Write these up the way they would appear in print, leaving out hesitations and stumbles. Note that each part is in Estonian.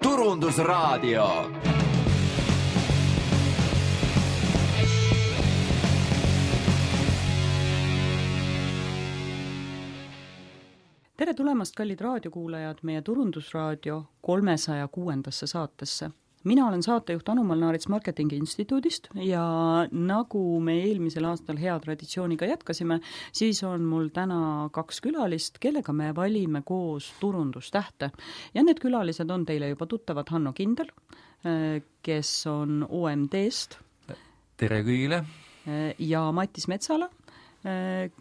Turundusraadio. Tere tulemast, kallid raadiokuulajad, meie Turundusraadio 306. saatesse. Mina olen saatejuht Anu Malnaarits Marketingi Instituudist ja nagu me eelmisel aastal hea traditsiooniga jätkasime, siis on mul täna 2 külalist, kellega me valime koos turundustähte. Ja need külalised on teile juba tuttavad Hanno Kindel, kes on OMD-st. Tere kõigile! Ja Mattis Metsala,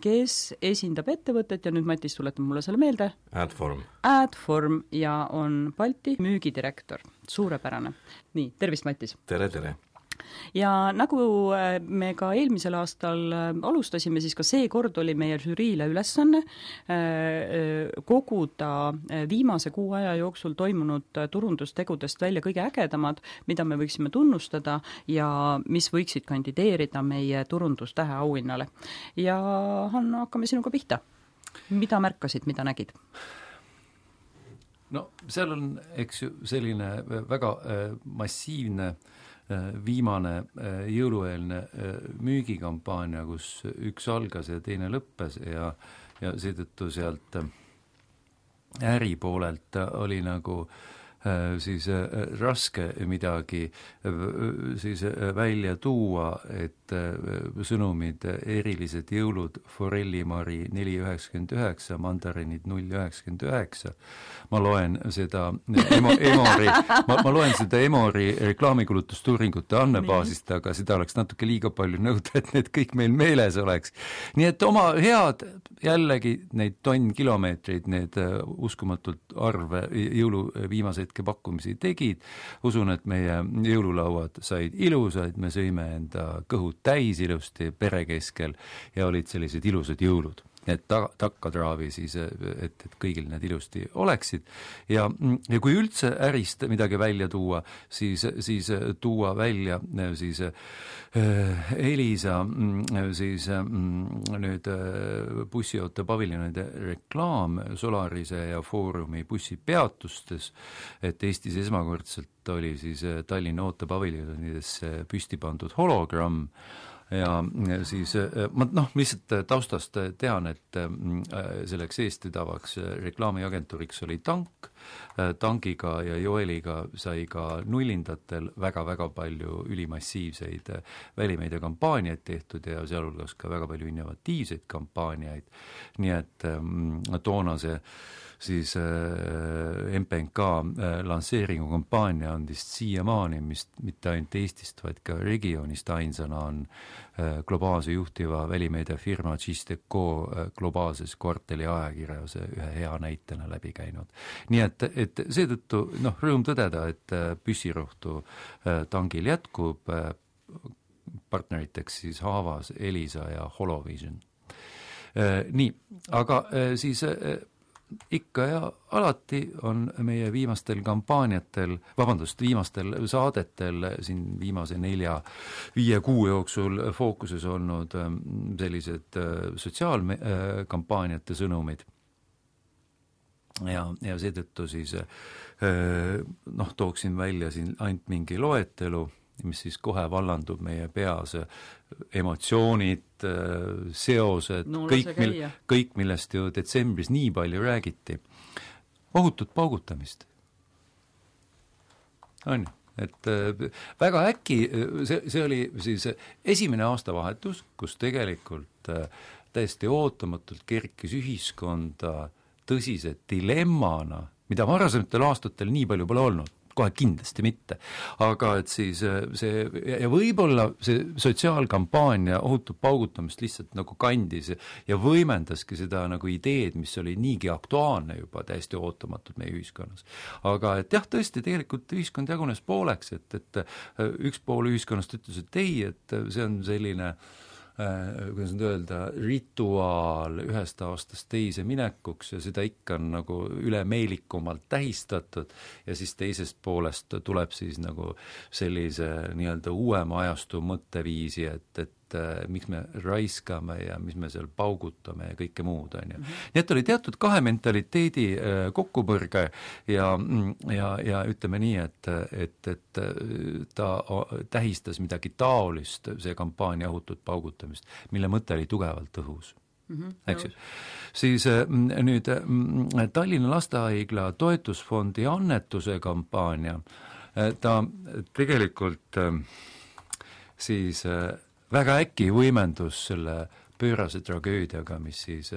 kes esindab ettevõtet ja nüüd Mattis tuletab mulle selle meelde. Adform ja on Balti müügidirektor. Suurepärane. Nii, tervist Mattis! Tere! Ja nagu me ka eelmisel aastal alustasime, siis ka see kord oli meie žüriile ülesanne koguda viimase 6 aja jooksul toimunud turundustegudest välja kõige ägedamad, mida me võiksime tunnustada ja mis võiksid kandideerida meie turundustähe auhinnale. Ja Hanno, hakkame sinuga pihta. Mida märkasid, mida nägid? No seal on, eks ju, selline väga massiivne viimane jõulueelne müügikampaania, kus üks algas ja teine lõppes ja seetõttu sealt äri poolelt oli nagu siis raske midagi siis välja tuua, et sõnumid erilised jõulud, forellimari 4,99, mandarinid 0,99. Ma loen seda Emori reklaamikulutustuuringute andmebaasist, aga seda oleks natuke liiga palju nõuda, et need kõik meil meeles oleks. Nii et oma head jällegi neid tonnkilomeetreid, need uskumatult arve jõulu viimaseid pakkumisi tegid. Usun, et meie jõululauad said ilusaid, me sõime enda kõhud täis ilusti pere keskel ja olid sellised ilusad jõulud. Et takkatraavi siis, et kõigil need ilusti oleksid. Ja kui üldse ärist midagi välja tuua, siis tuua välja siis Elisa siis nüüd bussiauto paviljonide reklaam Solarise ja Foorumi bussipeatustes, et Eestis esmakordselt oli siis Tallinna ootepaviljonidesse püsti pandud hologramm. Ja siis ma lihtsalt taustast tean, et selleks eestvedavaks reklaamiagentuuriks oli Tank. Tankiga ja Joeliga sai ka nullindatel väga-väga palju ülimassiivseid välimeediakampaaniaid tehtud ja sealhulgas ka väga palju innovatiivseid kampaaniaid. Nii et toona see siis MPNK lansseeringu kampaania on vist siiamaani, mis mitte ainult Eestist, vaid ka regioonist ainsana on globaalse juhtiva välimeediafirma Gisdeco globaalses kvartali ajakirjas ühe hea näitena läbi käinud. Nii et seetõttu rõõm tõdeda, et püssirohtu Tangil jätkub, partneriteks siis Haavas, Elisa ja Holovision. Nii, aga siis ikka ja alati on meie viimastel saadetel siin viimase 4-5 kuu jooksul fookuses olnud sellised sotsiaalkampaaniate sõnumid. Ja seetõttu siis tooksin välja siin ainult mingi loetelu, mis siis kohe vallandub meie peas, emotsioonid, seosed, kõik millest ju detsembris nii palju räägiti. Ohutut paugutamist. On ju, et väga äkki, see oli siis esimene aastavahetus, kus tegelikult täiesti ootamatult kerkis ühiskonda tõsise dilemmana, mida varasematel aastatel nii palju pole olnud. Kohe kindlasti mitte. Aga et siis see, ja võib-olla see sotsiaalkampaania ohutub paugutamist lihtsalt nagu kandis ja võimendaski seda nagu ideed, mis oli niigi aktuaalne juba täiesti ootamatult meie ühiskonnas. Aga et jah, tõesti, tegelikult ühiskond jagunes pooleks, et üks pool ühiskonnast ütles, et ei, et see on selline kuidas nüüd öelda, rituaal ühest aastast teise minekuks ja seda ikka on nagu ülemeelikumalt tähistatud ja siis teisest poolest tuleb siis nagu sellise nii-öelda uuema ajastu mõtteviisi, et et miks me raiskame ja mis me seal paugutame ja kõike muud, on ju. Nii et oli teatud kahe mentaliteedi kokkupõrge ja ütleme nii, et ta tähistas midagi taolist, see kampaania õhutut paugutamist, mille mõte oli tugevalt õhus. Eks ju. Siis nüüd Tallinna Lastehaigla toetusfondi annetuse kampaania, ta tegelikult siis väga äkki võimendus selle pöörase tragöödiaga, mis siis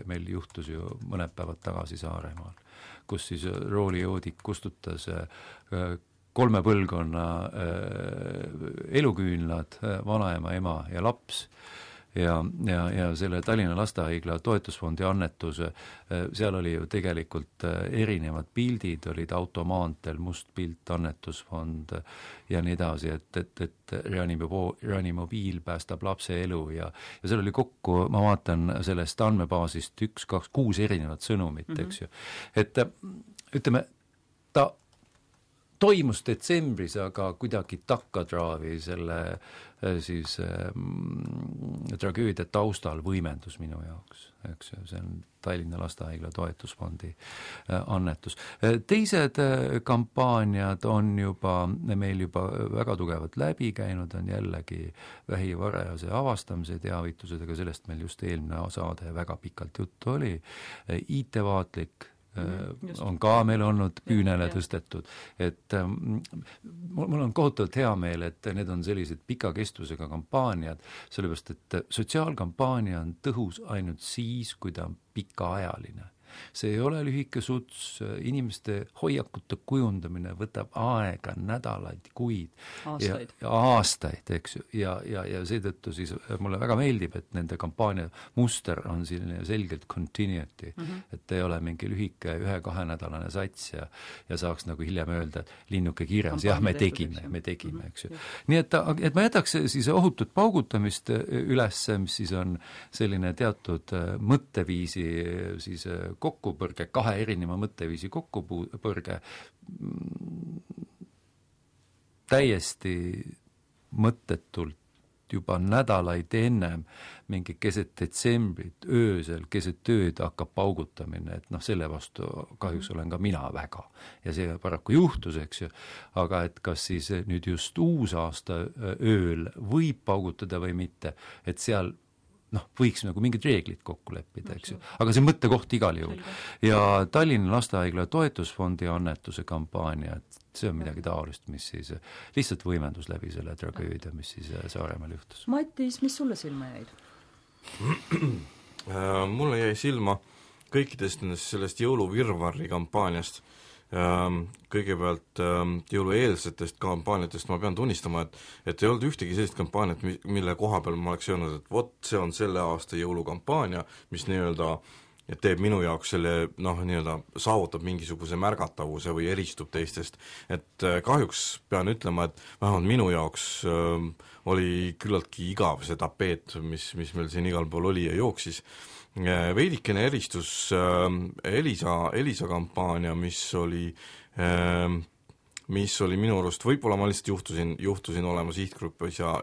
meil juhtus ju mõned päevad tagasi Saaremaal, kus siis roolijoodik kustutas 3 põlvkonna eluküünlad, vanaema, ema ja laps. Ja selle Tallinna Lastehaigla toetusfondi annetuse, seal oli ju tegelikult erinevad pildid, olid automaantel, must pilt, annetusfond ja nii edasi, et reanimobiil päästab lapse elu ja seal oli kokku, ma vaatan sellest andmebaasist 1, 2, 6 erinevat sõnumit, eks ju. Et ütleme, ta toimus detsembris, aga kuidagi takkatraavi selle siis tragöödia taustal võimendus minu jaoks, eks ju, see on Tallinna Lastehaigla toetusfondi annetus. Teised kampaaniad on meil juba väga tugevalt läbi käinud, on jällegi vähi varajase avastamise teavitused, aga sellest meil just eelmine saade väga pikalt juttu oli, IT-vaatlik on ka meil olnud küünele tõstetud, et mul on kohutavalt hea meel, et need on sellised pika kestvusega kampaaniad, sellepärast et sotsiaalkampaania on tõhus ainult siis, kui ta on pikaajaline. See ei ole lühike suts, inimeste hoiakute kujundamine võtab aega, nädalaid, kuid aastaid, eks ju, ja seetõttu siis mulle väga meeldib, et nende kampaania muster on selline selgelt continuity, et ei ole mingi lühike 1-2 nädalane sats ja saaks nagu hiljem öelda, et linnuke kirjas, jah, me tegime, eks ju. Nii et ma jätaks siis ohutut paugutamist üles, mis siis on selline teatud mõtteviisi siis kokkupõrge, 2 erineva mõtteviisi kokkupõrge, täiesti mõttetult juba nädalaid ennem mingi keset detsembrit, öösel, keset tööd hakkab paugutamine, et selle vastu kahjuks olen ka mina väga. Ja see paraku juhtus, eks ju, aga et kas siis nüüd just uusaasta ööl võib paugutada või mitte, et seal võiks nagu mingid reeglid kokku leppida, eks ju. Aga see mõttekoht igal juhul. Ja Tallinna Lastehaigla toetusfondi annetuse kampaania, et see on midagi taolist, mis siis lihtsalt võimendus läbi selle tragöödia, mis siis Saaremaal juhtus. Matis, mis sulle silma jäid? Mulle jäi silma kõikidest sellest jõuluvirvarri kampaaniast. Kõigepealt jõulueelsetest kampaaniatest ma pean tunnistama, et ei olnud ühtegi sellist kampaaniat, mille koha peal ma oleks öelnud, et vot see on selle aasta jõulukampaania, mis nii-öelda teeb minu jaoks selle, saavutab mingisuguse märgatavuse või eristub teistest. Et kahjuks pean ütlema, et vähemalt minu jaoks oli küllaltki igav see tapeet, mis meil siin igal pool oli ja jooksis. Veidikene eristus Elisa kampaania, mis oli minu arust, võib-olla ma lihtsalt juhtusin olema sihtgrupis ja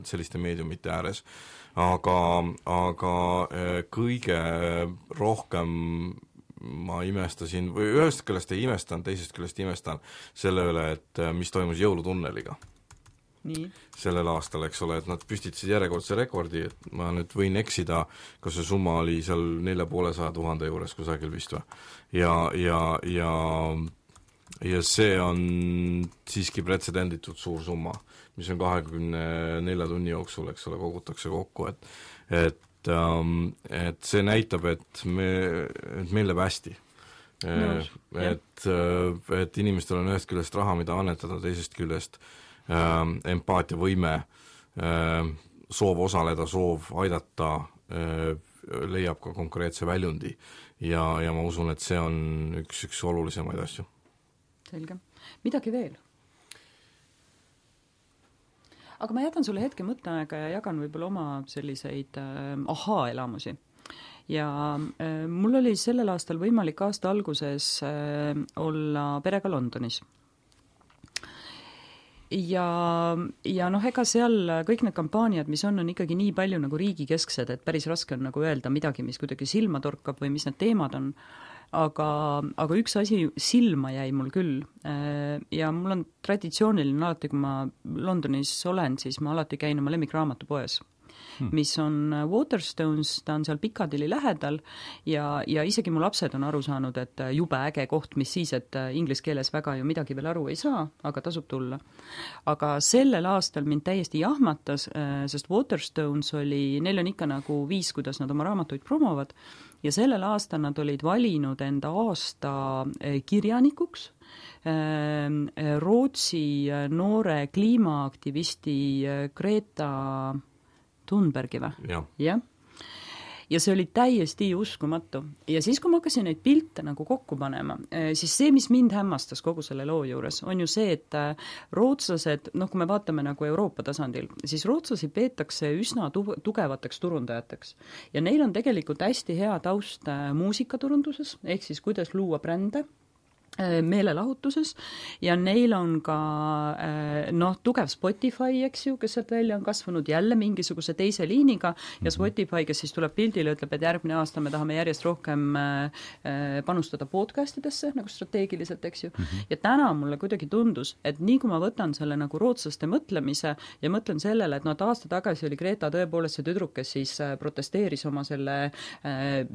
selliste meediumite ääres, aga kõige rohkem ma imestasin, või ühest küljest ei imestan, teisest küljest imestan selle üle, et mis toimus jõulutunneliga. Nii. Sellel aastal, eks ole, et nad püstitasid järjekordse rekordi, et ma nüüd võin eksida, kas see summa oli seal 400 000 juures kusagil vist või. Ja see on siiski pretsedenditud suur summa, mis on 24 tunni jooksul, eks ole, kogutakse kokku, et see näitab, et meil läheb hästi. Et inimestel on ühest küljest raha, mida annetada, teisest küljest empaatiavõime, soov osaleda, soov aidata, leiab ka konkreetse väljundi ja ma usun, et see on üks olulisemaid asju. Selge. Midagi veel? Aga ma jätan sulle hetke mõtteaega ja jagan võib-olla oma selliseid ahaa-elamusi. Ja mul oli sellel aastal võimalik aasta alguses olla perega Londonis. ja noh, ega seal kõik need kampaaniad, mis on ikkagi nii palju nagu riigikesksed, et päris raske on nagu öelda midagi, mis kuidagi silma torkab või mis need teemad on, aga üks asi silma jäi mul küll ja mul on traditsiooniline alati, kui ma Londonis olen, siis ma alati käin oma lemmikraamatupoes, mis on Waterstones, ta on seal Piccadilly lähedal ja isegi mu lapsed on aru saanud, et jube äge koht, mis siis, et inglise keeles väga ju midagi veel aru ei saa, aga tasub tulla. Aga sellel aastal mind täiesti jahmatas, sest Waterstones neil on ikka nagu viis, kuidas nad oma raamatuid promovad ja sellel aastal nad olid valinud enda aasta kirjanikuks Rootsi noore kliimaaktivisti Greta Thunbergi või? Jah. Ja see oli täiesti uskumatu. Ja siis, kui ma hakkasin neid pilte nagu kokku panema, siis see, mis mind hämmastas kogu selle loo juures, on ju see, et rootslased, noh, kui me vaatame nagu Euroopa tasandil, siis rootslasi peetakse üsna tugevateks turundajateks. Ja neil on tegelikult hästi hea taust muusikaturunduses, ehk siis kuidas luua brände, meelelahutuses ja neil on ka tugev Spotify, eks ju, kes sealt välja on kasvanud jälle mingisuguse teise liiniga ja Spotify, kes siis tuleb pildile, ütleb, et järgmine aasta me tahame järjest rohkem panustada podcastidesse nagu strateegiliselt, eks ju. Ja täna mulle kuidagi tundus, et nii kui ma võtan selle nagu rootslaste mõtlemise ja mõtlen sellele, et aasta tagasi oli Greta tõepoolest see tüdruk, kes siis protesteeris oma selle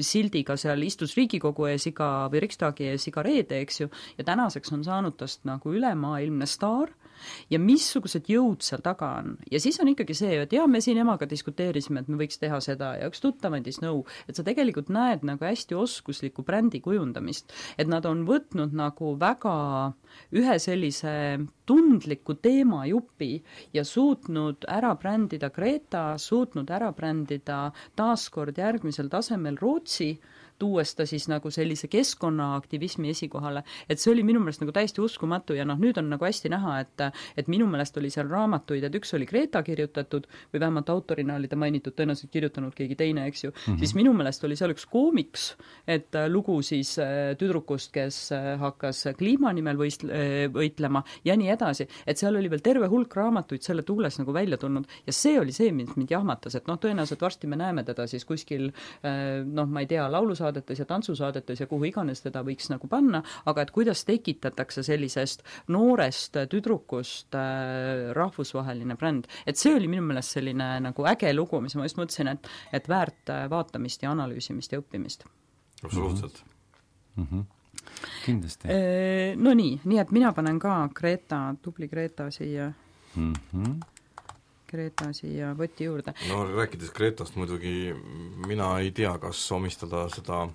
sildiga seal, istus Riigikogu ees või Riksdagi ees iga reede, eks ju, ja tänaseks on saanud tast nagu ülemaailmne staar ja missugused jõud seal taga on. Ja siis on ikkagi see, et me siin emaga diskuteerisime, et me võiks teha seda ja üks tuttav andis nõu, et sa tegelikult näed nagu hästi oskuslikku brändi kujundamist, et nad on võtnud nagu väga ühe sellise tundliku teemajupi ja suutnud ära brändida Greta, suutnud ära brändida taaskord järgmisel tasemel Rootsi, tuues ta siis nagu sellise keskkonnaaktivismi esikohale, et see oli minu meelest nagu täiesti uskumatu ja nüüd on nagu hästi näha, et minu meelest oli seal raamatuid, et üks oli Greta kirjutatud või vähemalt autorina oli ta mainitud, tõenäoliselt kirjutanud keegi teine, eks ju, siis minu meelest oli seal üks koomiks, et lugu siis tüdrukust, kes hakkas kliima nimel võitlema ja nii edasi, et seal oli veel terve hulk raamatuid selle tuules nagu välja tulnud ja see oli see, mis mind jahmatas, et tõenäoliselt varsti me näeme teda siis kuskil ma ei tea, laulusaadetes ja tantsusaadetes ja kuhu iganes teda võiks nagu panna, aga et kuidas tekitatakse sellisest noorest tüdrukust rahvusvaheline bränd. Et see oli minu meelest selline nagu äge lugu, mis ma just mõtlesin, et väärt vaatamist ja analüüsimist ja õppimist. Absoluutselt. Kindlasti. No nii et mina panen ka tubli Greta siia Greta võti juurde. No rääkides Gretast muidugi mina ei tea, kas omistada seda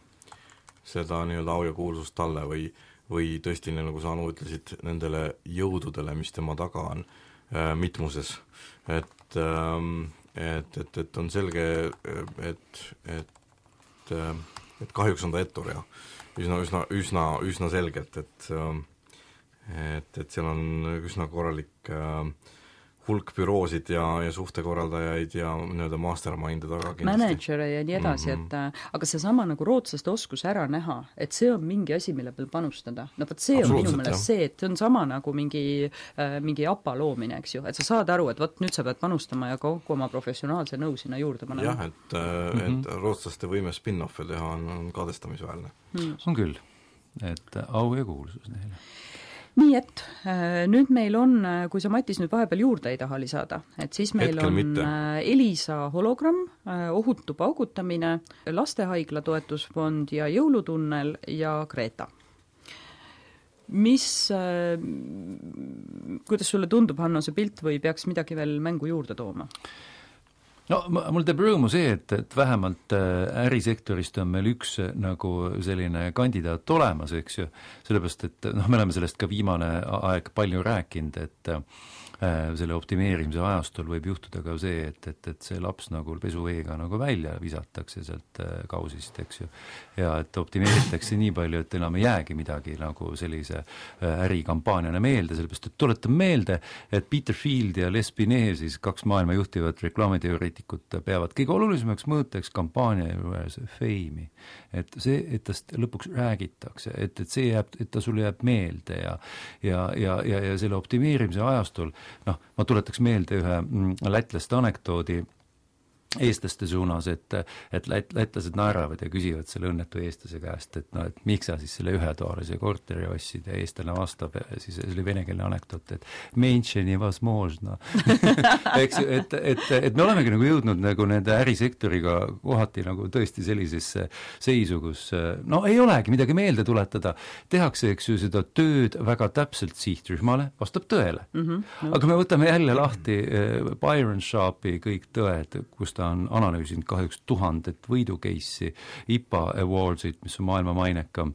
nii-öelda au ja kuulsust talle või tõesti, nagu sa Anu ütlesid, nendele jõududele, mis tema taga on mitmuses. Et on selge, et kahjuks on ta ettur ja üsna selgelt, et seal on üsna korralik hulk büroosid ja suhtekorraldajaid ja nii-öelda mastermind'e taga kindlasti. Managere ja nii edasi, aga see sama nagu rootslaste oskus ära näha, et see on mingi asi, mille peal panustada. No võt see on minu meelest see, et see on sama nagu mingi APA loomine, eks ju, et sa saad aru, et võt nüüd sa pead panustama ja kogu oma professionaalse nõu sinna juurde panema. Jah, et rootslaste võime spin-off'e teha on kadestamisväärne. On küll, et au ja kuulsus neile. Nii et nüüd meil on, kui sa Matis nüüd vahepeal juurde ei taha lisada, et siis meil hetkel on mitte. Elisa hologramm, ohutu paugutamine, lastehaigla toetusfond ja jõulutunnel ja Greta. Kuidas sulle tundub, Hanno, see pilt või peaks midagi veel mängu juurde tooma? No mul teeb rõõmu see, et vähemalt ärisektorist on meil üks nagu selline kandidaat olemas, eks ju, sellepärast, et me oleme sellest ka viimane aeg palju rääkinud, et selle optimeerimise ajastul võib juhtuda ka see, et see laps nagu pesuveega nagu välja visatakse sealt kausist, eks ju, ja et optimeeritakse nii palju, et enam ei jäägi midagi nagu sellise ärikampaaniana meelde, sellepärast, et tuletan meelde, et Peter Field ja Les Binet, siis 2 maailma juhtivat reklaamiteooriat poliitikud peavad kõige olulisemaks mõõteks kampaania juures feimi. Et see, et tast lõpuks räägitakse, et see jääb, et ta sulle jääb meelde ja selle optimeerimise ajastul, noh, ma tuletaks meelde ühe lätlaste anekdoodi eestlaste suunas, et lätlased naeravad ja küsivad selle õnnetu eestlase käest, et no, et miks sa siis selle ühetoalise korteri ostsid ja eestlane vastab, siis see oli venekeelne anekdoot, et menše nevozможно. Eks ju, et me olemegi nagu jõudnud nagu nende ärisektoriga kohati nagu tõesti sellisesse seisu, kus no ei olegi midagi meelde tuletada, tehakse, eks ju, seda tööd väga täpselt sihtrühmale, vastab tõele. Aga me võtame jälle lahti Byron Sharpi kõik tõed, kus ta on analüüsinud kahjuks 1000 võidukeissi, IPA Awardsid, mis on maailma mainekam.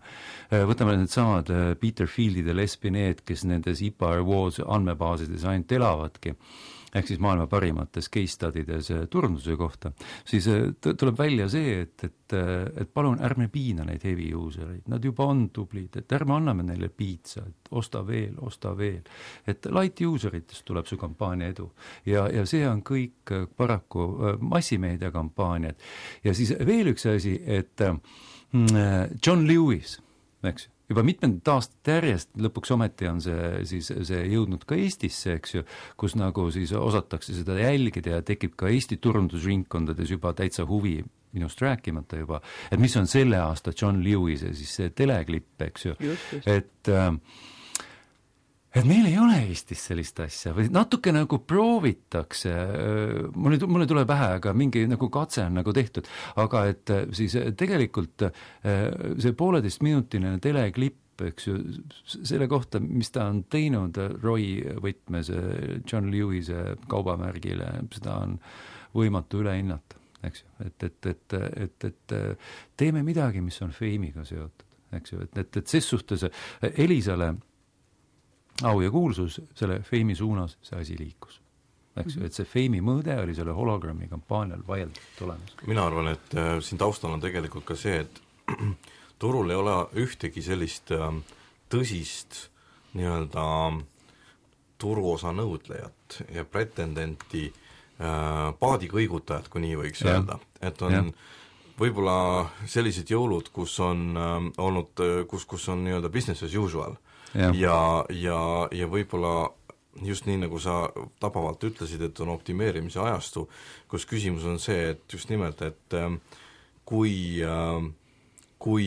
Võtame need samad Peter Fieldid ja Les Binet, kes nendes IPA Awards andmebaasides ainult elavadki, ehk siis maailma parimates case studides turunduse kohta, siis tuleb välja see, et palun ärme piina neid heavy usereid, nad juba on tublid, et ärme anname neile piitsa, et osta veel, et light useritest tuleb su kampaania edu ja see on kõik paraku massimeedia kampaaniad. Ja siis veel üks asi, et John Lewis, eks ju, juba mitmendat aastat järjest, lõpuks ometi on see jõudnud ka Eestisse, eks ju, kus nagu siis osatakse seda jälgida ja tekib ka Eesti turundusringkondades juba täitsa huvi, minust rääkimata juba, et mis on selle aasta John Lewise siis see teleklipp, eks ju, et meil ei ole Eestis sellist asja või natuke nagu proovitakse, mulle tuleb pähe, aga mingi nagu katse on nagu tehtud, aga et siis tegelikult see 1,5-minutine teleklipp, eks ju, selle kohta, mis ta on teinud Roy võtmes John Lewise kaubamärgile, seda on võimatu üle hinnata, eks ju, et teeme midagi, mis on feimiga seotud, eks ju, et ses suhtes Elisale au ja kuulsus selle feimi suunas see asi liikus. Eks ju, et see feimi mõõde oli selle hologrammi kampaanial vaieldavalt olemas. Mina arvan, et siin taustal on tegelikult ka see, et turul ei ole ühtegi sellist tõsist nii-öelda turuosa nõudlejat ja pretendenti paadikõigutajat, kui nii võiks öelda. Et on võib-olla sellised jõulud, kus on olnud, kus on nii-öelda business as usual. Ja võib-olla just nii, nagu sa tabavalt ütlesid, et on optimeerimise ajastu, kus küsimus on see, et just nimelt, et kui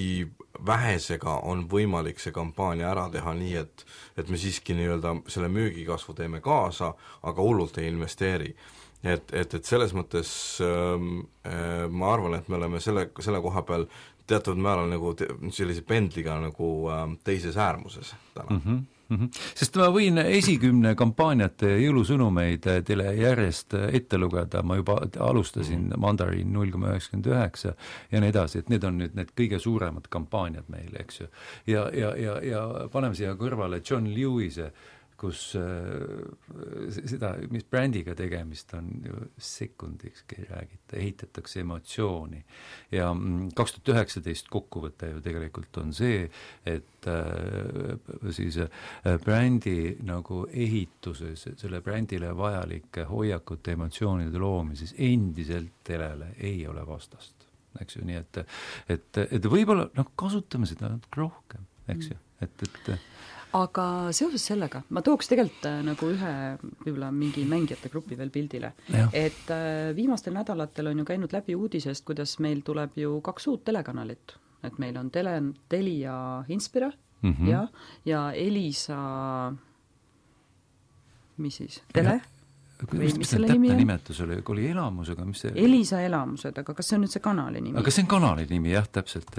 vähesega on võimalik see kampaania ära teha nii, et me siiski nii-öelda selle müügikasvu teeme kaasa, aga hullult ei investeeri. Et selles mõttes ma arvan, et me oleme selle koha peal teatud määral nagu sellise pendliga nagu teises äärmuses täna. Sest ma võin esikümne kampaaniate jõulusõnumeid teile järjest ette lugeda, ma juba alustasin Mandarin 0,99 ja nii edasi, et need on nüüd need kõige suuremad kampaaniad meil, eks ju. Ja paneme siia kõrvale John Lewise, kus seda, mis brändiga tegemist on ju sekundikski räägita, ehitatakse emotsiooni. Ja 2019 kokkuvõte ju tegelikult on see, et siis brändi nagu ehituses, selle brändile vajalike hoiakute, emotsioonide loomises endiselt telele ei ole vastast. Eks ju, nii et võib-olla kasutame seda rohkem, eks ju, et aga seoses sellega, ma tooks tegelikult nagu ühe võib-olla mingi mängijate grupi veel pildile, et viimastel nädalatel on ju käinud läbi uudisest, kuidas meil tuleb ju 2 uut telekanalit, et meil on Telia Inspira ja Elisa, mis siis, Tele? Mis selle nimi on? Nimetus oli elamusega, mis see... Elisa elamused, aga kas see on nüüd see kanali nimi? Aga see on kanali nimi, jah, täpselt.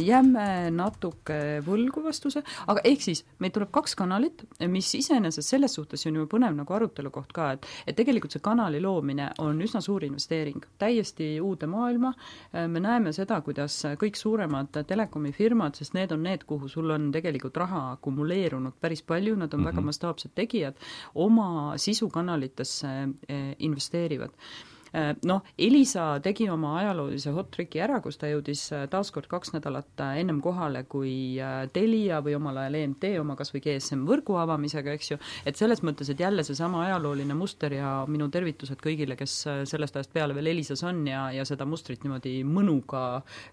Jääme natuke võlgu vastuse, aga ehk siis meil tuleb 2 kanalit, mis iseenesest selles suhtes on ju põnev nagu arutelu koht ka, et tegelikult see kanali loomine on üsna suur investeering, täiesti uude maailma. Me näeme seda, kuidas kõik suuremad telekomifirmad, sest need on need, kuhu sul on tegelikult raha akumuleerunud päris palju, nad on väga mastaapsed tegijad, oma sisukanalitesse investeerivad. Elisa tegi oma ajaloolise hot tricki ära, kus ta jõudis taaskord 2 nädalat ennem kohale kui Telia või omal ajal EMT oma kas või GSM võrgu avamisega, eks ju, et selles mõttes, et jälle seesama ajalooline muster ja minu tervitused kõigile, kes sellest ajast peale veel Elisas on ja seda mustrit niimoodi mõnuga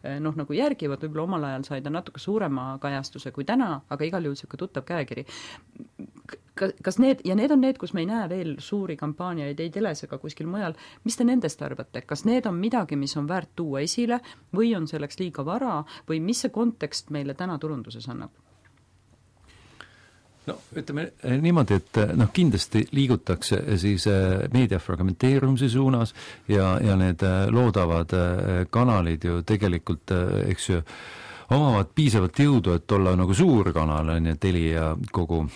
nagu järgivad, võib-olla omal ajal sai ta natuke suurema kajastuse kui täna, aga igal juhul siuke tuttav käekiri. Kas need on need, kus me ei näe veel suuri kampaaniaid ei teles ega kuskil mujal, mis te nendest arvate? Kas need on midagi, mis on väärt tuua esile või on selleks liiga vara või mis see kontekst meile täna turunduses annab? No ütleme niimoodi, et kindlasti liigutakse siis meedia fragmenteerumise suunas ja need loodavad kanalid ju tegelikult, eks ju, omavad piisavalt jõudu, et olla nagu suur kanal, on ju, Telia kogu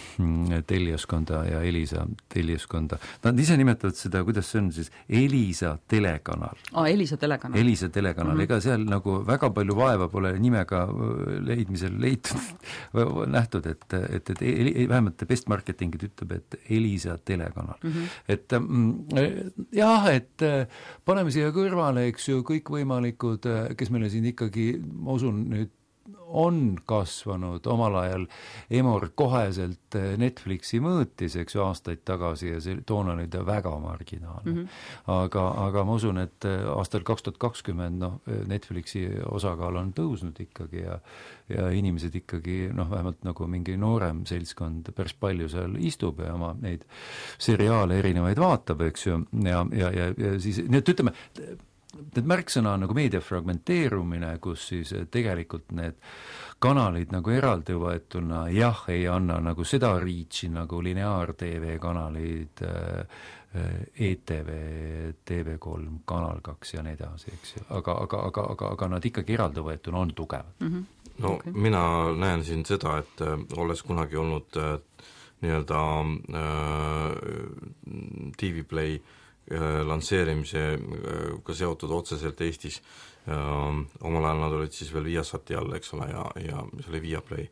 Teliaskonda ja Elisa Teliaskonda. Nad ise nimetavad seda, kuidas see on siis, Elisa telekanal. Elisa telekanal. Elisa telekanal, ega seal nagu väga palju vaeva pole nimega leidmisel nähtud, et vähemalt best marketingid ütleb, et Elisa telekanal. Et jah, et paneme siia kõrvale, eks ju, kõikvõimalikud, kes meile siin ikkagi, ma usun nüüd, on kasvanud omal ajal Emor koheselt Netflixi mõõtis, eks ju, aastaid tagasi ja see toon oli ta väga marginaalne. Aga ma usun, et aastal 2020 Netflixi osakaal on tõusnud ikkagi ja inimesed ikkagi vähemalt nagu mingi noorem seltskond päris palju seal istub ja oma neid seriaale erinevaid vaatab, eks ju, ja siis, nii et ütleme, need märksõna on nagu meedia fragmenteerumine, kus siis tegelikult need kanalid nagu eraldi võetuna ei anna nagu seda reach'i nagu lineaar-TV kanalid, ETV, TV3, Kanal 2 ja nii edasi, eks ju. Aga nad ikkagi eraldi võetuna on tugevad. Mina näen siin seda, et olles kunagi olnud nii-öelda TV Play lansseerimisega seotud otseselt Eestis. Omal ajal nad olid siis veel Viasati all, eks ole, ja see oli Viaplay.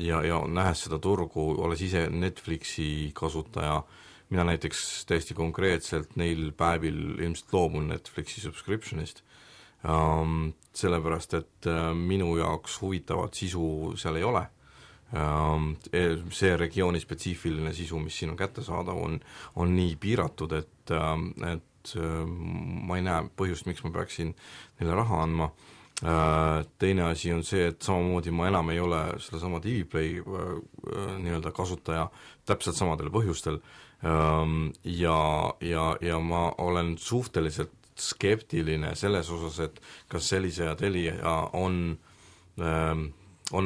Ja nähes seda turgu, olles ise Netflixi kasutaja, mina näiteks täiesti konkreetselt neil päevil ilmselt loobun Netflixi subscriptionist, sellepärast, et minu jaoks huvitavat sisu seal ei ole. See regiooni spetsiifiline sisu, mis siin on kättesaadav, on nii piiratud, et ma ei näe põhjust, miks ma peaksin neile raha andma. Teine asi on see, et samamoodi ma enam ei ole sellesama TV-Play nii-öelda kasutaja täpselt samadel põhjustel ja ma olen suhteliselt skeptiline selles osas, et kas sellise ja Telia on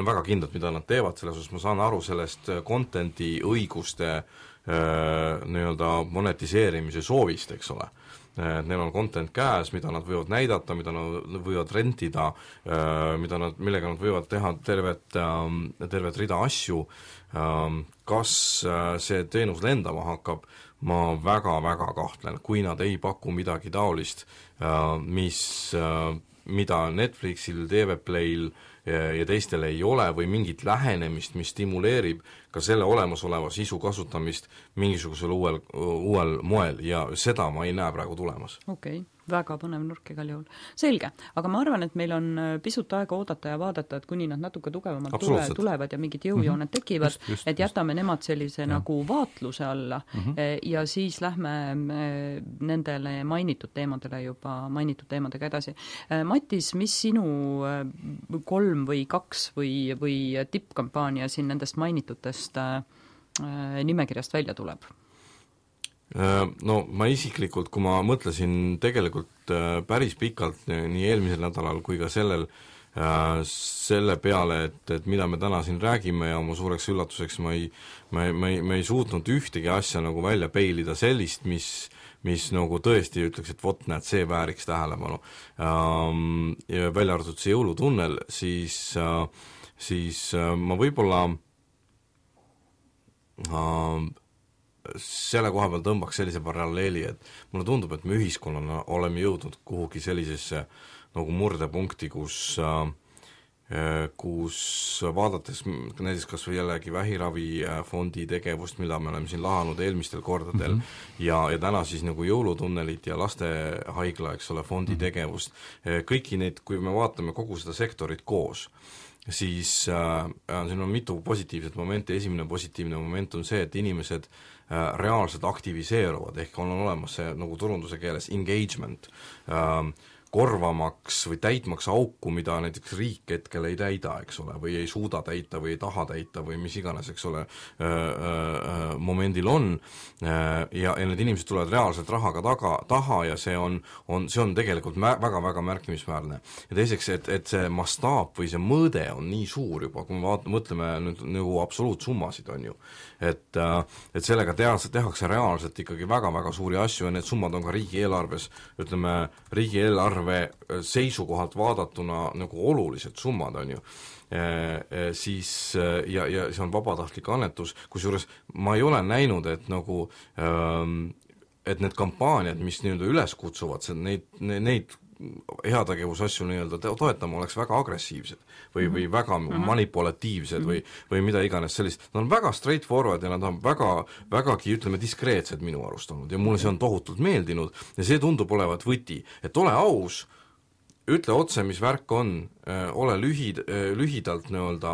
väga kindlad, mida nad teevad, selles osas ma saan aru sellest contenti õiguste nii-öelda monetiseerimise soovist, eks ole. Neil on content käes, mida nad võivad näidata, mida nad võivad rentida, millega nad võivad teha tervet rida asju. Kas see teenus lendama hakkab, ma väga-väga kahtlen, kui nad ei paku midagi taolist, mida Netflixil, TV Playl ja teistel ei ole või mingit lähenemist, mis stimuleerib ka selle olemasoleva sisu kasutamist mingisugusel uuel moel ja seda ma ei näe praegu tulemas. Okei. Väga põnev nurk igal juhul. Selge, aga ma arvan, et meil on pisut aega oodata ja vaadata, et kuni nad natuke tugevamalt tulevad ja mingid jõujooned tekivad, et jätame nemad sellise nagu vaatluse alla ja siis lähme nendele mainitud teemadega edasi. Matis, mis sinu 3 või 2 või tippkampaania siin nendest mainitutest nimekirjast välja tuleb? No ma isiklikult, kui ma mõtlesin tegelikult päris pikalt nii eelmisel nädalal kui ka selle peale, et mida me täna siin räägime ja oma suureks üllatuseks ma ei suutnud ühtegi asja nagu välja peilida sellist, mis nagu tõesti ütleks, et vot näed, see vääriks tähelepanu. Ja välja arvatud see jõulutunnel, siis ma võib-olla selle koha peal tõmbaks sellise paralleeli, et mulle tundub, et me ühiskonnana oleme jõudnud kuhugi sellisesse nagu murdepunkti, kus kus vaadates näiteks kas või jällegi vähiravifondi tegevust, mida me oleme siin lahanud eelmistel kordadel ja täna siis nagu jõulutunnelit ja lastehaigla, eks ole, fondi tegevust, kõiki neid, kui me vaatame kogu seda sektorit koos, siis siin on mitu positiivset momenti. Esimene positiivne moment on see, et inimesed reaalselt aktiviseeruvad, ehk on olemas see nagu turunduse keeles engagement, korvamaks või täitmaks auku, mida näiteks riik hetkel ei täida, eks ole, või ei suuda täita või ei taha täita või mis iganes, eks ole, momendil on, ja need inimesed tulevad reaalselt rahaga taha ja see on tegelikult väga-väga märkimisväärne. Ja teiseks, et see mastaap või see mõõde on nii suur juba, kui me mõtleme nüüd nagu absoluutsummasid, on ju, et sellega tehakse reaalselt ikkagi väga-väga suuri asju ja need summad on ka riigieelarves, ütleme, riigieelarve seisukohalt vaadatuna nagu olulised summad, on ju, siis ja see on vabatahtlik annetus, kusjuures ma ei ole näinud, et nagu et need kampaaniad, mis nii-öelda üles kutsuvad, neid heategevusasju nii-öelda toetama oleks väga agressiivsed või väga manipulatiivsed või mida iganes sellist. Nad on väga straightforward ja nad on vägagi, ütleme, diskreetsed minu arust olnud ja mulle see on tohutult meeldinud ja see tundub olevat võti, et ole aus, ütle otse, mis värk on, ole lühidalt nii-öelda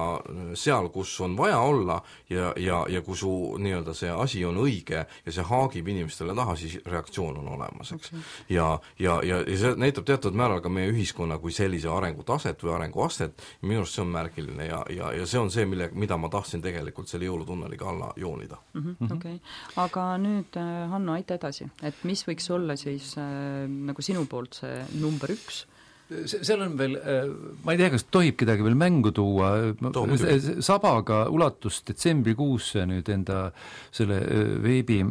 seal, kus on vaja olla ja kui su nii-öelda see asi on õige ja see haagib inimestele taha, siis reaktsioon on olemas, eks. Ja see näitab teatud määral ka meie ühiskonna kui sellise arengutaset või arenguastet, minu arust see on märgiline ja see on see, mida ma tahtsin tegelikult selle jõulutunneliga alla joonida. Okay. Aga nüüd, Hanno, aita edasi, et mis võiks olla siis nagu sinu poolt see number 1? Seal on veel, ma ei tea, kas tohib kedagi veel mängu tuua, Sabaga ulatus detsembrikuusse nüüd enda selle veebi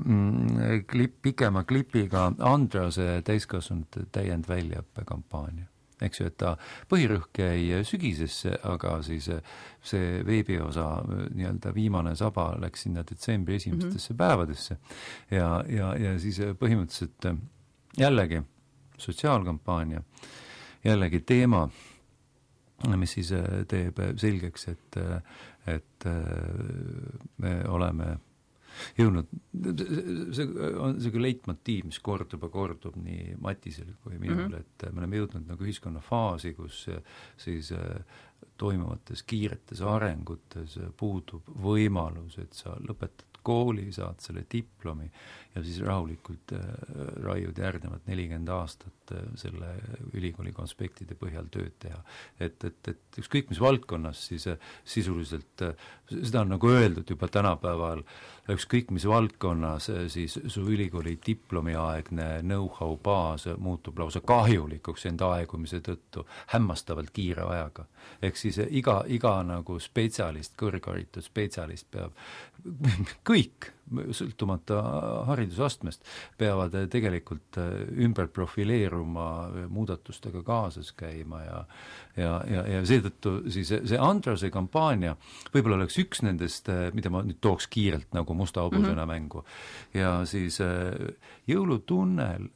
pikema klipiga Andrase täiskasvanute täiendväljaõppekampaania. Eks ju, et ta põhirõhk jäi sügisesse, aga siis see veebiosa nii-öelda viimane Saba läks sinna detsembri esimestesse päevadesse ja siis põhimõtteliselt jällegi sotsiaalkampaania, jällegi teema, mis siis teeb selgeks, et me oleme jõudnud, see on see leitmotiiv, mis kordub nii Matisel kui minul, et me oleme jõudnud nagu ühiskonna faasi, kus siis toimuvates kiiretes arengutes puudub võimalus, et sa lõpetad kooli, saad selle diplomi ja siis rahulikult raiud järgnevad 40 aastat selle ülikooli konspektide põhjal tööd teha. Et ükskõik mis valdkonnas siis sisuliselt, seda on nagu öeldud juba tänapäeval, ükskõik mis valdkonnas siis su ülikooli diplomiaegne know-how baas muutub lausa kahjulikuks enda aegumise tõttu hämmastavalt kiire ajaga. Ehk siis iga nagu spetsialist, kõrgharitud spetsialist peab kõik, sõltumata haridusastmest, peavad tegelikult ümber profileeruma, muudatustega kaasas käima ja seetõttu siis see Andrase kampaania võib-olla oleks üks nendest, mida ma nüüd tooks kiirelt nagu musta hobusena mängu. Ja siis jõulutunnel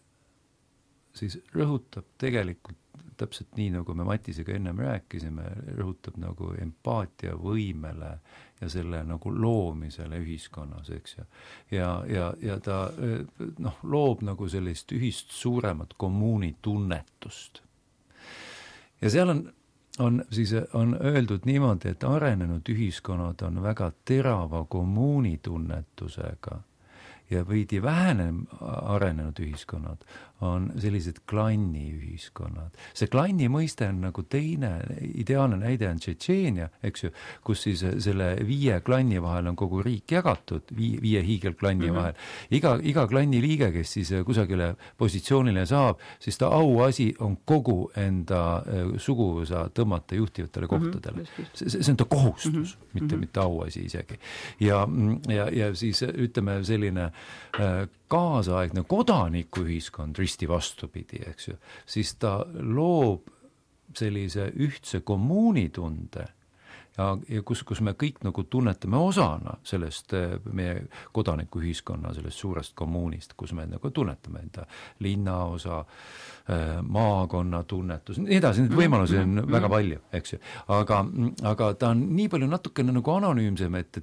siis rõhutab tegelikult täpselt nii, nagu me Matisega ennem rääkisime, rõhutab nagu empaatia võimele ja selle nagu loomisele ühiskonnas, eks ju. Ja ta loob nagu sellist ühist suuremat kommuunitunnetust. Ja seal on öeldud niimoodi, et arenenud ühiskonnad on väga terava kommuunitunnetusega ja veidi vähenem arenenud ühiskonnad on sellised klanniühiskonnad. See klanni mõiste on nagu teine, ideaalne näide on Tšetšeenia, eks ju, kus siis selle 5 klanni vahel on kogu riik jagatud, 5 hiigelklanni vahel. Iga klanni liige, kes siis kusagile positsioonile saab, siis ta auasi on kogu enda suguvõsa tõmmata juhtivatele kohtadele. See on ta kohustus, mitte auasi isegi. Ja siis ütleme selline kaasaegne kodanikuühiskond risti vastupidi, eks ju, siis ta loob sellise ühtse kommuunitunde ja kus me kõik nagu tunnetame osana sellest meie kodanikuühiskonna sellest suurest kommuunist, kus me nagu tunnetame enda linnaosa, maakonna tunnetus, nii edasi, neid võimalusi on väga palju, eks ju. Aga ta on nii palju natukene nagu anonüümsem, et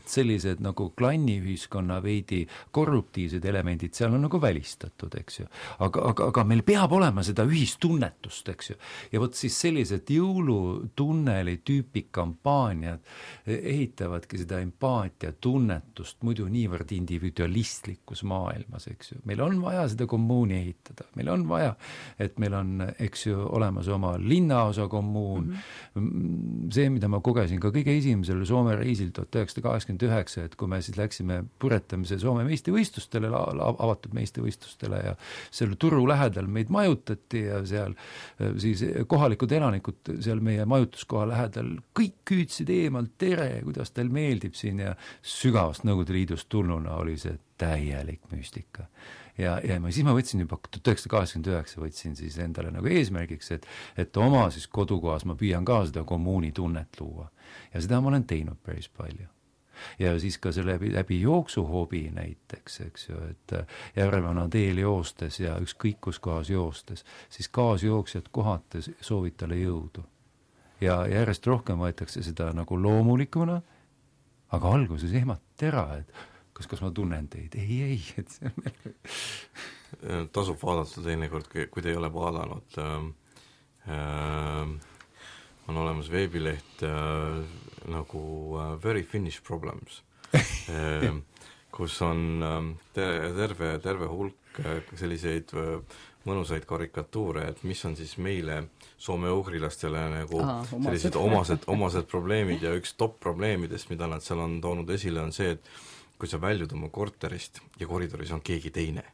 sellised nagu klanniühiskonna veidi korruptiivsed elemendid seal on nagu välistatud, eks ju. Aga meil peab olema seda ühistunnetust, eks ju. Ja võt siis sellised jõulutunneli tüüpi kampaaniad ehitavadki seda empaatia tunnetust muidu niivõrd individualistlikus maailmas, eks ju. Meil on vaja seda kommuuni ehitada, meil on vaja, et meil on, eks ju, olemas oma linnaosa kommuun. See, mida ma kogesin ka kõige esimesel Soome reisil 1989, et kui me siis läksime puretamise Soome meistrivõistlustele, avatud meistrivõistlustele ja selle turu lähedal meid majutati ja seal siis kohalikud elanikud seal meie majutuskoha lähedal kõik küütsid eemalt, tere, kuidas teil meeldib siin ja sügavast Nõukogude Liidust tulnuna oli see täielik müstika. Ja siis ma võtsin juba 1989 võtsin siis endale nagu eesmärgiks, et oma siis kodukohas ma püüan ka seda kommuuni tunnet luua. Ja seda ma olen teinud päris palju. Ja siis ka selle läbi jooksuhobi näiteks, eks ju, et Järvevana teel joostes ja ükskõik kus kohas joostes, siis kaasjooksjad kohates soovid talle jõudu. Ja järjest rohkem võetakse seda nagu loomulikuna, aga alguses ehmati ära, et kas ma tunnen teid? Ei, et see on tasub vaadata teinekord, kui te ei ole vaadanud. On olemas veebileht nagu Very Finnish Problems, kus on terve hulk selliseid mõnusaid karikatuure, et mis on siis meile soome-ugrilastele nagu sellised omased probleemid ja üks top probleemidest, mida nad seal on toonud esile, on see, et kui sa väljud oma korterist ja koridoris on keegi teine.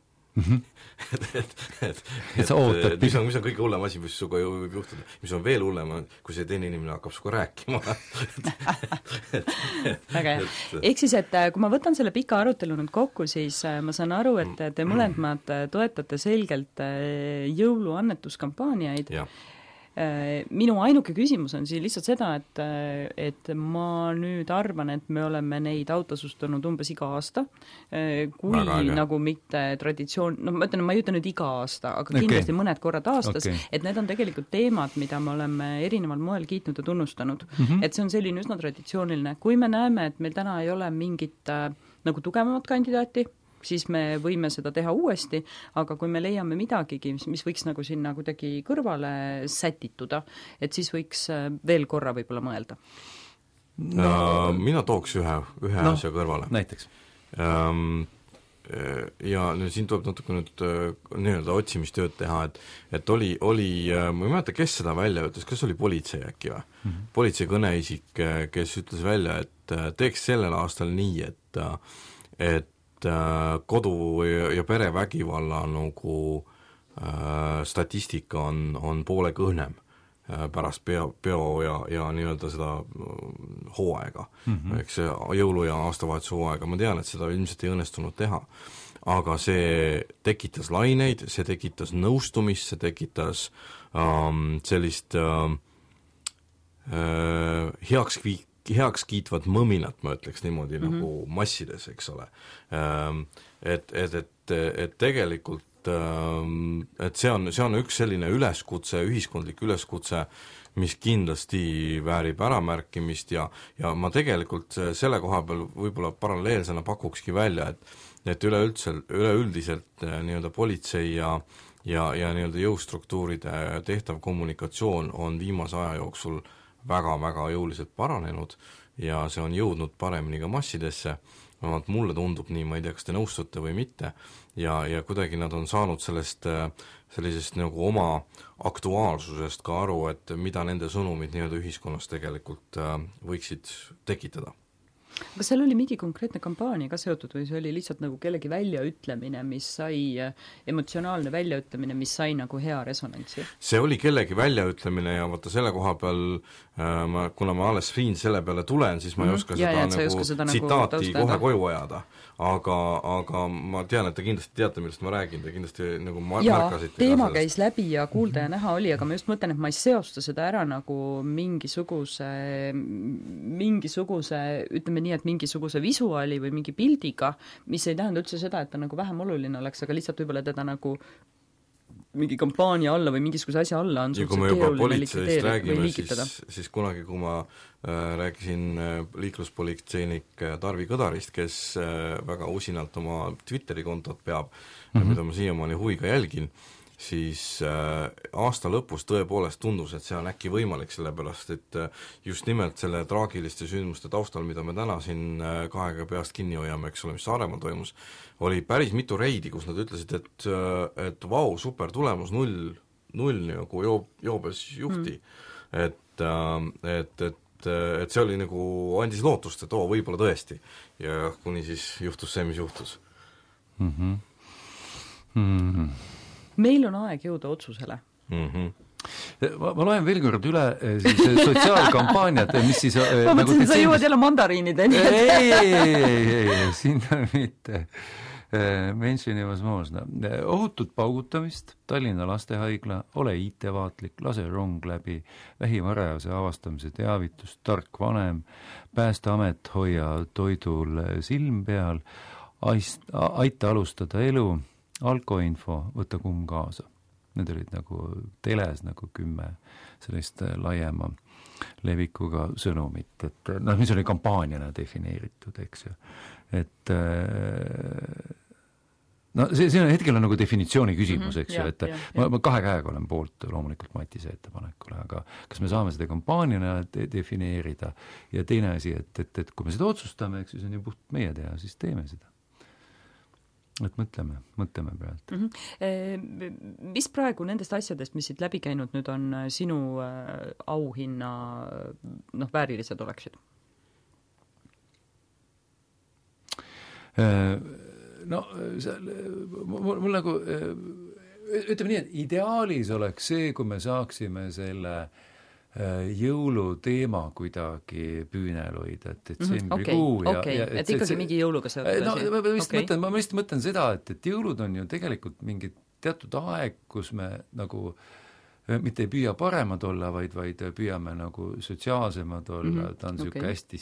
et sa ootad. Mis on kõige hullem asi, mis suga võib juhtuda. Mis on veel hullem, kui see teine inimene hakkab suga rääkima. Väga hea. Ehk siis, et kui ma võtan selle pika arutelu nüüd kokku, siis ma saan aru, et te mõlemad toetate selgelt jõuluannetuskampaaniaid. Minu ainuke küsimus on siin lihtsalt seda, et ma nüüd arvan, et me oleme neid autasustanud umbes iga aasta, kui nagu mitte traditsioon, ma ütlen, ma ei ütle nüüd iga aasta, aga kindlasti mõned korrad aastas, et need on tegelikult teemad, mida me oleme erineval moel kiitnud ja tunnustanud. Et see on selline üsna traditsiooniline. Kui me näeme, et meil täna ei ole mingit nagu tugevamat kandidaati, siis me võime seda teha uuesti, aga kui me leiame midagigi, mis võiks nagu sinna kuidagi kõrvale sätituda, et siis võiks veel korra võib-olla mõelda. Mina tooks ühe asja kõrvale. Näiteks. Ja siin tuleb natuke nüüd nii-öelda otsimistööd teha, et oli ma ei mäleta, kes seda välja ütles, kas oli politsei äkki või? Politsei kõneisik, kes ütles välja, et teeks sellel aastal nii, et kodu- ja perevägivalla nagu statistika on poole kõhnem pärast peo ja nii-öelda seda hooaega, eks jõulu- ja aastavahetuse hooaega. Ma tean, et seda ilmselt ei õnnestunud teha, aga see tekitas laineid, see tekitas nõustumist, see tekitas sellist heaks kiitvat mõminat, ma ütleks niimoodi nagu massides, eks ole. Et tegelikult et see on üks selline üleskutse, ühiskondlik üleskutse, mis kindlasti väärib äramärkimist ja ma tegelikult selle koha peal võib-olla paralleelsena pakukski välja, et üleüldiselt nii-öelda politsei ja nii-öelda jõustruktuuride tehtav kommunikatsioon on viimase aja jooksul väga-väga jõuliselt paranenud ja see on jõudnud paremini ka massidesse. Mulle tundub nii, ma ei tea, kas te nõustute või mitte, ja kuidagi nad on saanud sellisest nagu oma aktuaalsusest ka aru, et mida nende sõnumid nii-öelda ühiskonnas tegelikult võiksid tekitada. Kas seal oli mingi konkreetne kampaania ka seotud või see oli lihtsalt nagu kellegi väljaütlemine, mis sai, emotsionaalne väljaütlemine, mis sai nagu hea resonantsi? See oli kellegi väljaütlemine ja vaata selle koha peal kuna ma alles siin selle peale tulen, siis ma ei oska seda tsitaati kohe koju ajada. Aga ma tean, et te kindlasti teate, millest ma räägin, te kindlasti nagu märkasite. Teema käis läbi ja kuulda ja näha oli, aga ma just mõtlen, et ma ei seosta seda ära nagu mingisuguse, ütleme nii, et mingisuguse visuaali või mingi pildiga, mis ei tähenda üldse seda, et ta nagu vähem oluline oleks, aga lihtsalt võib-olla teda nagu mingi kampaania alla või mingisuguse asja alla on ja kui me juba politseist räägime, siis kunagi, kui ma rääkisin liikluspolitseinik Tarvi Kõdarist, kes väga usinalt oma Twitteri kontot peab, mida ma siiamaani huviga jälgin, siis aasta lõpus tõepoolest tundus, et see on äkki võimalik, sellepärast et just nimelt selle traagiliste sündmuste taustal, mida me täna siin kahega peast kinni hoiame, eks ole, mis Saaremaal toimus, oli päris mitu reidi, kus nad ütlesid, et vau, super tulemus, null nagu joobes juhti. Et see oli nagu, andis lootust, et võib-olla tõesti. Ja kuni siis juhtus see, mis juhtus. Meil on aeg jõuda otsusele. Ma loen veel kord üle siis sotsiaalkampaaniad, mis siis ma mõtlesin, sa jõuad jälle mandariinideni. Ei, siin on mitte mentionivas moosna. Ohutut paugutamist, Tallinna lastehaigla, ole IT-vaatlik, lase rong läbi, vähivarajase avastamise teavitus, tark vanem, Päästeamet, hoia toidul silm peal, aita alustada elu, alkoinfo, võta kumm kaasa. Need olid nagu teles nagu 10 sellist laiema levikuga sõnumit, et mis oli kampaaniana defineeritud, eks ju. Et see on hetkel on nagu definitsiooni küsimus, eks ju, et ma 2 käega olen poolt loomulikult Matise ettepanekule, aga kas me saame seda kampaaniana defineerida ja teine asi, et kui me seda otsustame, eks ju, see on ju puht meie teha, siis teeme seda. Et mõtleme praegu. Mis praegu nendest asjadest, mis siit läbi käinud nüüd on sinu auhinna väärilised oleksid? Mul nagu ütleme nii, et ideaalis oleks see, kui me saaksime selle jõuluteema kuidagi püünel hoida, et septembrikuu et ikkagi mingi jõuluga seotud ma lihtsalt mõtlen seda, et jõulud on ju tegelikult mingi teatud aeg, kus me nagu mitte ei püüa paremad olla, vaid püüame nagu sotsiaalsemad olla, ta on niisugune hästi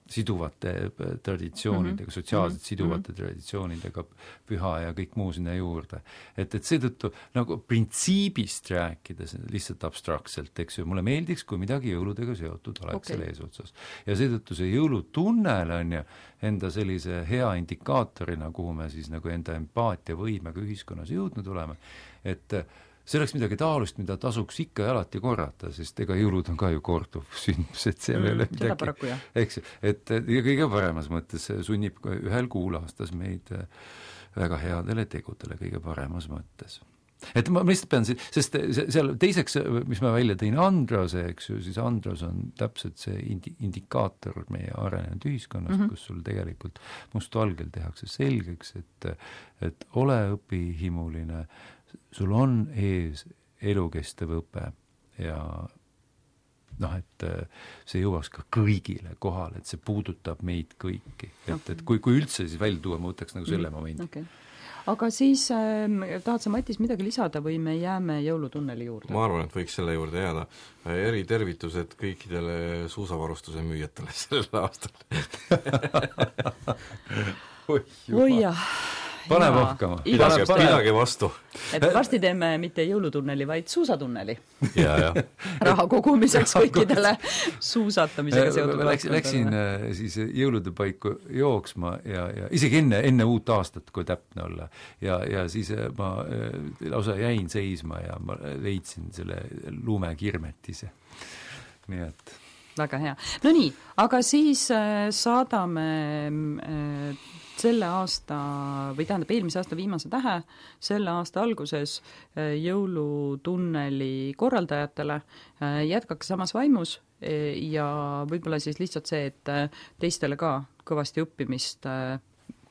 siduvate traditsioonidega, sotsiaalselt siduvate traditsioonidega püha ja kõik muu sinna juurde. Et seetõttu nagu printsiibist rääkides lihtsalt abstraktselt, eks ju, mulle meeldiks, kui midagi jõuludega seotud oleks selle eesotsas. Ja seetõttu see jõulutunnel on ju enda sellise hea indikaatorina, kuhu me siis nagu enda empaatia võimega ühiskonnas jõudnud oleme, et see oleks midagi taolist, mida tasuks ikka ja alati korrata, sest ega jõulud on ka ju korduv sündmus, et see ei ole midagi, eks, et kõige paremas mõttes sunnib ühel kuul aastas meid väga headele tegudele kõige paremas mõttes. Et ma lihtsalt pean, sest seal teiseks, mis ma välja tõin Androse, eks ju, siis Andros on täpselt see indikaator meie arenenud ühiskonnast, kus sul tegelikult mustvalgel tehakse selgeks, et ole õpihimuline, sul on ees elukestev õpe ja et see jõuaks ka kõigile kohale, et see puudutab meid kõiki. Et kui üldse siis välja tuua, ma võtaks nagu selle momendi. Aga siis tahad sa, Matis, midagi lisada või me jääme jõulutunneli juurde? Ma arvan, et võiks selle juurde jääda. Eritervitused kõikidele suusavarustuse müüjatele sellel aastal. Oi jah. Pane pohkama. Pidage vastu. Et varsti teeme mitte jõulutunneli, vaid suusatunneli. Ja. Raha kogumiseks kõikidele suusatamisega seotud. Läksin siis jõulude paiku jooksma ja isegi enne uut aastat, kui täpne olla. Ja siis ma lausa jäin seisma ja ma leidsin selle lumekirmetise. Nii et... Väga hea. No nii, aga siis saadame selle aasta, või tähendab eelmise aasta viimase tähe, selle aasta alguses jõulutunneli korraldajatele. Jätkake samas vaimus ja võib-olla siis lihtsalt see, et teistele ka kõvasti õppimist,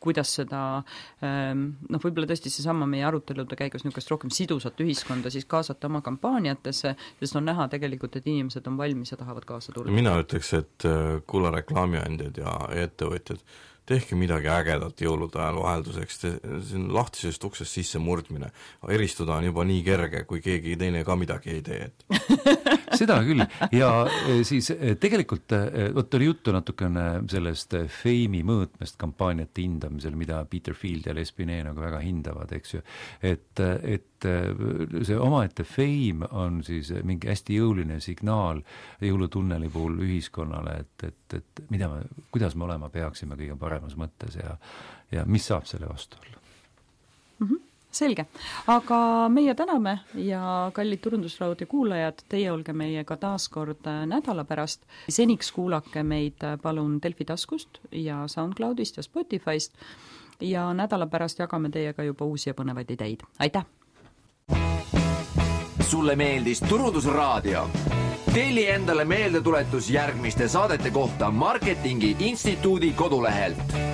kuidas seda, võib-olla tõesti seesama meie arutelude käigus niisugust rohkem sidusat ühiskonda siis kaasata oma kampaaniatesse, sest on näha tegelikult, et inimesed on valmis ja tahavad kaasa tulla. Mina ütleks, et kuule reklaamiandjad ja ettevõtjad, tehke midagi ägedat jõulude ajal vahelduseks, see on lahtisest uksest sisse murdmine. Eristuda on juba nii kerge, kui keegi teine ka midagi ei tee. Seda küll, ja siis tegelikult oli juttu natukene sellest feimi mõõtmest kampaaniate hindamisel, mida Peter Field ja Les Binet nagu väga hindavad, eks ju, et see omaette feim on siis mingi hästi jõuline signaal jõulutunneli puhul ühiskonnale, et kuidas me olema peaksime kõige paremas mõttes ja mis saab selle vastu olla. Selge, aga meie täname ja kallid Turundusraadio kuulajad, teie olge meiega taas kord nädala pärast. Seniks kuulake meid palun Delfi taskust ja SoundCloudist ja Spotifyst ja nädala pärast jagame teiega juba uusi ja põnevaid ideid. Aitäh! Sulle meeldis Turundusraadio? Telli endale meeldetuletus järgmiste saadete kohta Marketingi Instituudi kodulehelt.